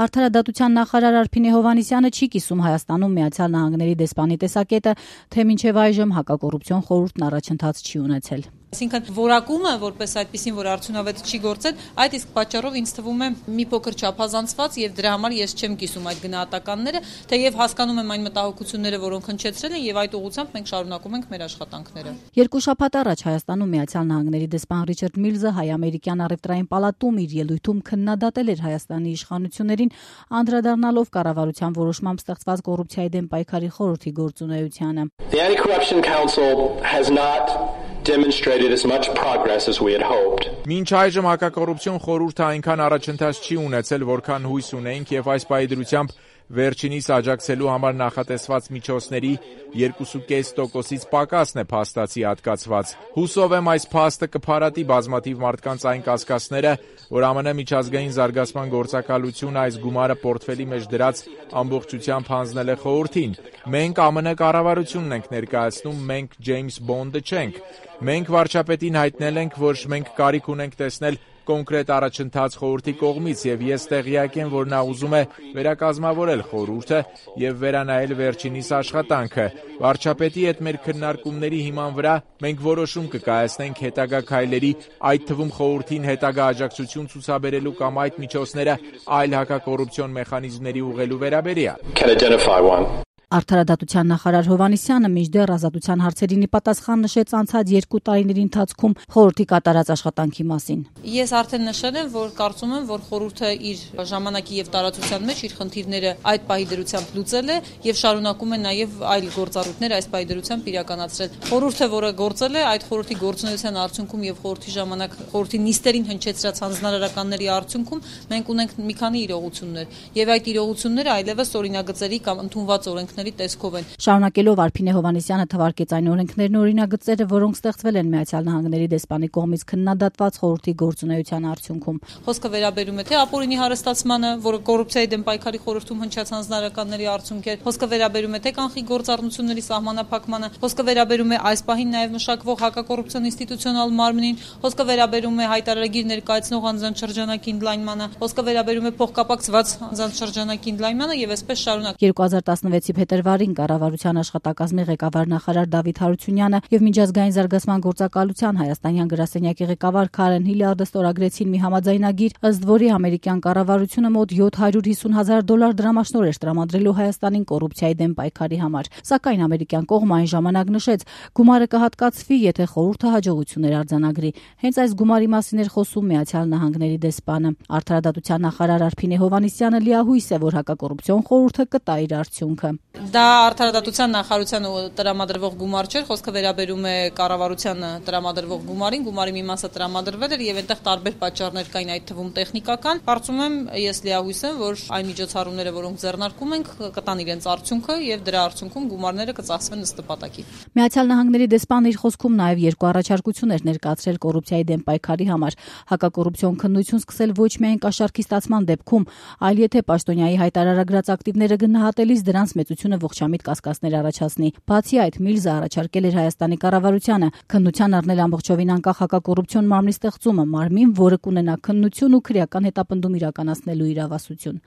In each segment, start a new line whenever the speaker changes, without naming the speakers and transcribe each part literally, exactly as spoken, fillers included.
Արդարադատության նախարար Արփինե Հովհաննիսյանը չի կիսում Հայաստանում Միացյալ Նահանգների դեսպանի տեսակետը, թե մինչև այժմ հակակոռուպցիոն խորհուրդն առաջընթաց չի ունեցել։
Այսինքն որակումը, որպես այդպեսին, որ արդյունավետ չի գործել, այդ իսկ պատճառով ինձ թվում է մի փոքր չափազանցված եւ դրա համար ես չեմ կիսում այդ գնահատականները, թեև հասկանում եմ այն մտահոգությունները, որոնք հնչեցրել են եւ այդ ուղղությամբ մենք շարունակում ենք մեր աշխատանքները։
Երկու շաբաթ առաջ Հայաստանում Միացյալ Նահանգների դեսպան Ռիչարդ Միլզը հայ-ամերիկյան առևտրային պալատում իր ելույթում քննադատել էր Հայաստանի իշխանություններին, անդրադառնալով կառավարության որոշմամբ ստեղծված կոռուպցիայի դեմ պայքարի խորհրդի գործունեությանը։
The Anti-Corruption Council has not demonstrated as much progress as we had hoped.
Մինչ այժմ հակակոռուպցիոն խորհուրդը այնքան առաջընթաց չի ունեցել, որքան հույս ունեինք, եւ այս պայդրությամբ վերջինիս աջակցելու համար նախատեսված միջոցների երկու կես տոկոսից պակասն է փաստացի հատկացված։ Հուսով եմ այս փաստը կփարատի բազմաթիվ մարդկանց այն կասկածները, որ ԱՄՆ միջազգային զարգացման գործակալությունը այս գումարը պորտֆելի մեջ դրած ամբողջությամբ հանձնել է խորհրդին։ Մենք ԱՄՆ կառավարությունն ենք ներկայացնում, մենք Ջեյմս Բոնդը չենք։ Մենք վարչապետին հայտնել ենք, որ մենք կարիք ունենք տեսնել կոնկրետ առաջընթաց խորհրդի կողմից, եւ ես տեղյակ եմ, որ նա ուզում է վերակազմավորել խորհուրդը եւ վերանայել վերջինիս աշխատանքը։ Վարչապետի հետ մեր քննարկումների հիման վրա մենք որոշում կկայացնենք հետագա քայլերի, այդ թվում խորհրդին հետագա աջակցություն ցուցաբերելու կամ այդ միջոցները այլ հակակոռուպցիոն մեխանիզմների ուղղելու վերաբերյալ։
Արդարադատության նախարար Հովհաննիսյանը մինչդեռ ազատության հարցերին պատասխան նշեց անցած երկու տարիների ընթացքում խորհրդի կատարած աշխատանքի մասին։
Ես արդեն նշել եմ, որ կարծում եմ, որ խորհուրդը իր ժամանակի եւ տարածության մեջ իր խնդիրները այդ պահի դրությամբ լուծել է եւ շարունակում է նաեւ այլ գործառույթներ այս պահի դրությամբ իրականացրել։ Խորհուրդը, որը գործել է, այդ խորհրդի գործունեության արդյունքում եւ խորհրդի ժամանակ խորհրդի նիստերին հնչեցրած հանձնարարականների արդյունքում մենք ունենք մի քանի իրողություններ եւ այդ իրողությունները այլևս օրինագծերի կամ ընդունված օրենքների տեսքով են։
Շարունակելով Արփինե Հովհաննիսյանը թվարկեց այն օրենքներն ու օրինագծերը, որոնք ստեղծվել են Միացյալ Նահանգների դեսպանի կողմից քննադատված խորհրդի գործունեության արդյունքում։
Խոսքը վերաբերում է թե ապօրինի հարստացմանը, որը կոռուպցիայի դեմ պայքարի խորհրդում հնչած հանձնարարականների արդյունք է, խոսքը վերաբերում է թե կանխիկ գործառնությունների սահմանափակմանը, խոսքը վերաբերում է այս պահին նաև մշակվող հակակոռուպցիոն ինստիտուցիոնալ մարմնին, խոսքը վերաբերում է հայտարարագիր ներկայացնող անձանց շրջանակի ընդլայնմանը, խոսքը վերաբերում է փոխկապակցված անձանց շրջանակի ընդլայնմանը եւ այսպես շարունակ։
երկու հազար տասնվեցի փետրվարին կառավարության աշխատակազմի ղեկավար նախարար Դավիթ Հարությունյանը եւ միջազգային զարգացման գործակալության հայաստանյան գրասենյակի ղեկավար Քարեն Հիլարդը ստորագրեցին մի համաձայնագիր, ըստ որի ամերիկյան կառավարությունը մոտ յոթ հարյուր հիսուն հազար դոլար դրամաշնորհ էր տրամադրելու Հայաստանին կոռուպցիայի դեմ պայքարի համար։ Սակայն ամերիկյան կողմը այն ժամանակ նշեց, գումարը կհատկացվի, եթե խորհուրդը հաջողություններ արձանագրի։ Հենց այս գումարի մասին էր խոսում Միացյալ Նահանգների դեսպանը։ Արդարադատության նախարար Արփինե Հովհաննիսյանը լիահույս է, որ հակակոռուպցիոն խորհուրդը կտա իր արդյունքը։
Դա արդարադատության նախարարությանը տրամադրվող գումար չէր, խոսքը վերաբերում է կառավարությանը տրամադրվող գումարին, գումարի մի մասը տրամադրվել էր եւ այնտեղ տարբեր պատճառներ կային, այդ թվում տեխնիկական։ Կարծում եմ, ես լիահույս եմ, որ այն միջոցառումները, որոնք ձեռնարկում ենք, կտան իրենց արդյունքը եւ դրա արդյունքում գումարները կծախսվեն ըստ նպատակի։
Միացյալ Նահանգների դեսպանը իր խոսքում նաեւ երկու առաջարկություն էր ներկայացրել կոռուպցիայի դեմ պայքարի համար, հակակոռուպցիոն քննություն սկսել ոչ միայն կաշառքի ստացման դեպքում, այլ եթե պաշտոնյայի հայտարարագրած ակտիվները գնահատելիս դրանց մեծությունը ողջամիտ կասկածներ առաջացնի։ Բացի այդ, Միլզը առաջարկել էր Հայաստանի կառավարությանը քննության առնել ամբողջովին անկախ հակակոռուպցիոն մարմնի ստեղծումը, մարմին, որը կունենա քննություն ու քրեական հետապնդում իրականացնելու իրավասություն։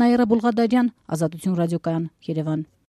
Նաիրա Բուլղադարյան, Ազատություն ռադիոկայան, Երևան։